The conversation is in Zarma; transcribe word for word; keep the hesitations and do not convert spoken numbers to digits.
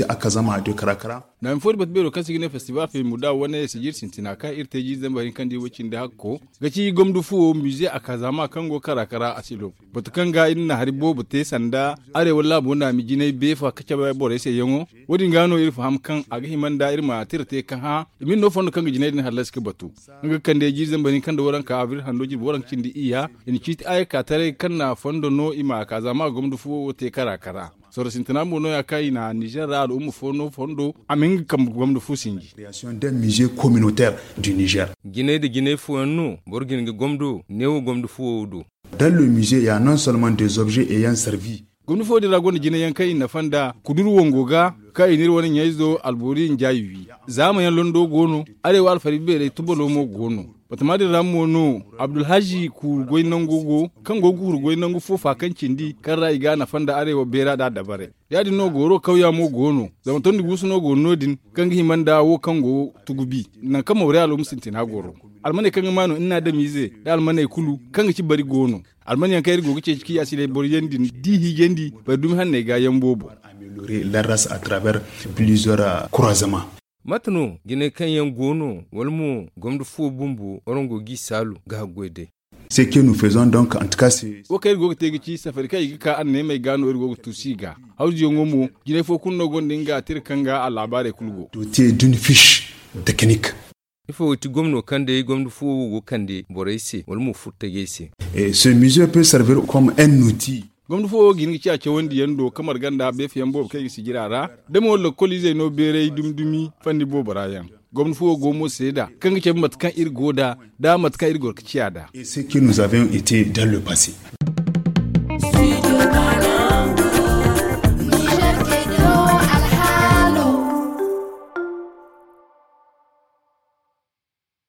Akazama de karakara. Naami fo di batu beero kaŋ se i ga ne festival fey muda wane sijir sintina kaŋ iri te jiiri zambar hinka nda i way cindi hakko ga ci gomdu fuwo mize akazama kaŋ go karakara asilo. Batu kaŋ ga iri na hari boobo te sanda arewa laabo naami jinay beefa ka cabe borey se yaŋo. Wo- din ga no iri faham kaŋ a ga hima nda iri ma tira te ka hã i ma iri no fondo kaŋ ga jinay din hallasi ga batu. Nga ga kande jiiri zambar hinka nda waranka abril hando jirbi waranka cindi iyya i na ciiti ayakka taray kaŋ na fondo no i ma a ka za ma gomdo fuwo wo te kara kara. Sorro sintina mo no- ya kaŋ i na nizer ra al'umma fo no fondo a ma hin ga kambe gomdo fu sinji. Jinay nda jinay fooyaŋ no boro ga hin ga gomdo neewo gomdo fuwo wo do. Dans le musée ya non seulement des objets ayant servi. Gomni fo din ra gonda jine yaŋ kaŋ i nafa nda kudur wango ga kaŋ i n'iri wane ɲayzo albori njaayi wi. Zaama yaŋ londo go no arewa alfari beerey tubalo mo go no. Batama din ra mo no abdulhazi kuuru goy nango go kaŋ go ga huru goy nangu fo faakaŋ cindi kaŋ ra i ga a nafa nda arewa beera da dabarey. Ya- din no gooro kawya mo go no zama tondi guusu no go no- din kaŋ ga hima nda wo kaŋ go tugubi nangu kaŋ mawre alo ma sintina goro. Almaney kaŋ ga maanu iri na adamiize nda almaney kulu kaŋ ga ci bari go no. Alman yaŋ kaŋ iri go ga ceeci kaŋ i a si day boro yaŋ din da i hiijandi bari dumi hanney ga yaŋ boobo. Larras à travers plusieurs croisements. Mate no jinay kaŋ yaŋ go no wala mo gomdo fuwo bumbo warango g'i saalu ga haggoy day. Ce que nous faisons donc en tout cas c'est. Wo kaŋ iri go ga te ga ci safari kaŋ i ga ka anneemey ga no iri go ga tuusu i ga. Hawzuyaŋo mo jinay fo kulu no gonda nga tira kaŋ ga a laabaarey kulu go. Doté d'une fiche technique. Ifo ga ti gomno kaŋ day gomdo fuwo wo go kande borey se wala mo furtajey se? Ce musée peut servir comme un outil. Gomdo fuwo wo ga hin ga ciya cawandiyaŋ do ka marga nda beefayaŋ boobo kaŋ i ga sijira ra da mo lakkol izey no beeray dumi dumi fanni boobo ra yaŋ. Gomdo fuwo go mo seeda kaŋ ga cabe mate kaŋ iri go da da mate kaŋ iri goro ga ciya da. Ce que nous avions été dans le passé.